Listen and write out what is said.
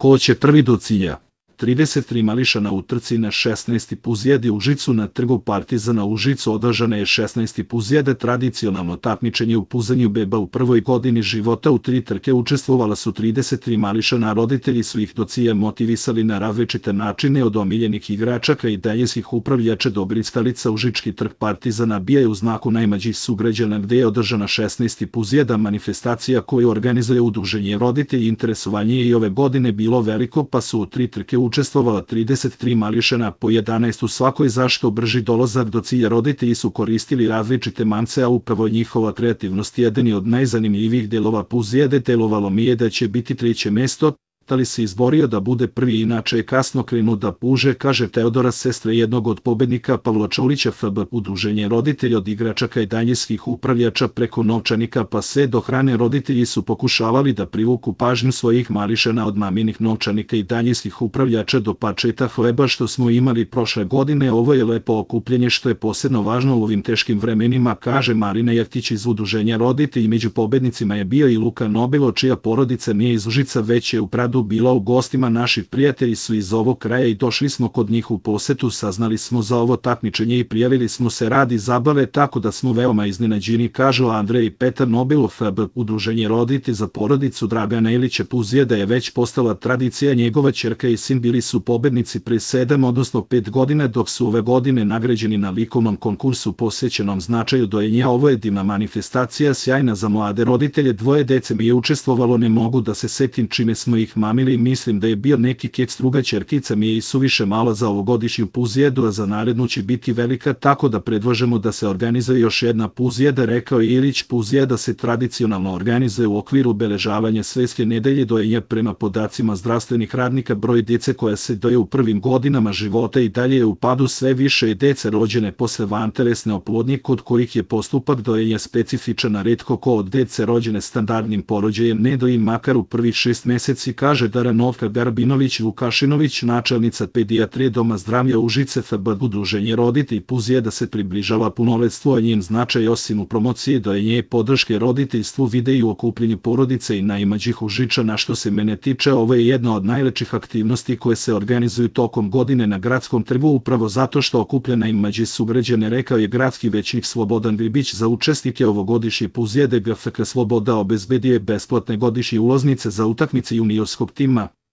Ko će prvi do cilja? 33 mališana u trci na 16. puzijedi u Užicu. Na trgu Partizana u Užicu održana je 16. puzijede, tradicionalno takmičenje u puzanju beba u prvoj godini života. U 3 trke učestvovala su 33 mališana, a roditelji su ih do cilja motivisali na različite načine, od omiljenih igračaka i daljinskih upravljača do blistalica. Užički trg Partizana bija je u znaku najmlađih sugrađana, gde je održana 16. puzijeda, manifestacija koju organizuje udruženje roditelji. Interesovanje je i ove godine bilo veliko, pa su u 3 trke učestvovala 33 mališana, po 11 u svakoj. Zašto brži dolazak do cilja? Roditelji su koristili različite mance, a upravo njihova kreativnost jedan je od najzanimljivijih delova puzijede. Delovalo mi je da će biti 3. mesto, ali se izborio da bude prvi, inače je kasno krenuo da puže, kaže Teodora, sestra jednog od pobednika Pavla Čolića. FB udruženje roditelja, od igračaka i daljinskih upravljača preko novčanika pa sve do hrane, roditelji su pokušavali da privuku pažnju svojih mališana, od maminih novčanika i daljinskih upravljača do pačeta hleba što smo imali prošle godine. Ovo je lepo okupljenje što je posebno važno u ovim teškim vremenima, kaže Marina Jeftić iz udruženja roditelji. Među pobednicima je bio i Luka Nobilo, čija porodica nije iz Užica, već je u Pradu bila u gostima. Naši prijatelji su iz ovog kraja i došli smo kod njih u posetu. Saznali smo za ovo takmičenje i prijavili smo se radi zabave, tako da smo veoma iznenađeni, kažu Andrej i Petar Nobilo. FB udruženje roditelji za porodicu Dragana Ilića puzijeda je već postala tradicija. Njegova ćerka i sin bili su pobednici pre 7 odnosno 5 godina, dok su ove godine nagrađeni na likovnom konkursu posvećenom značaju dojenja. Ovo je divna manifestacija, sjajna za mlade roditelje. 2 dece mi je učestvovalo, ne mogu da se setim čime smo ih mamili. Mislim da je bio neki keks. Druga ćerkica mi je i suviše mala za ovogodišnju puzijedu, a za narednu će biti velika, tako da predlažemo da se organizuje još jedna puzijeda, rekao je Ilić. Puzijeda se tradicionalno organizuje u okviru obeležavanja Svetske nedelje dojenja. Prema podacima zdravstvenih radnika, broj dece koja se doje u prvim godinama života i dalje je u padu. Sve više je dece rođene posle vantelesne oplodnje, kod kojih je postupak dojenja specifičan, a retko ko od dece rođene standardnim porođajem ne doji makar u prvih 6 meseci, kaže Daranovka Garbinović Vukašinović, načelnica pedijatrije Doma zdravlja Užice. FB udruženje roditelji puzijeda se približava punoletstvu, a njen značaj osim u promociji dojenja i podrške roditeljstvu vide i u okupljenju porodice i najmlađih Užičana. Što se mene tiče, ovo je jedna od najlepših aktivnosti koje se organizuju tokom godine na gradskom trgu, upravo zato što okuplja najmlađe sugrađane, rekao je gradski većnik Slobodan Gribić. Za učesnike ovogodišnje puzijede GFK Sloboda obezbedio je besplatne godišnje ulaznice za utakmice juniorskog tima.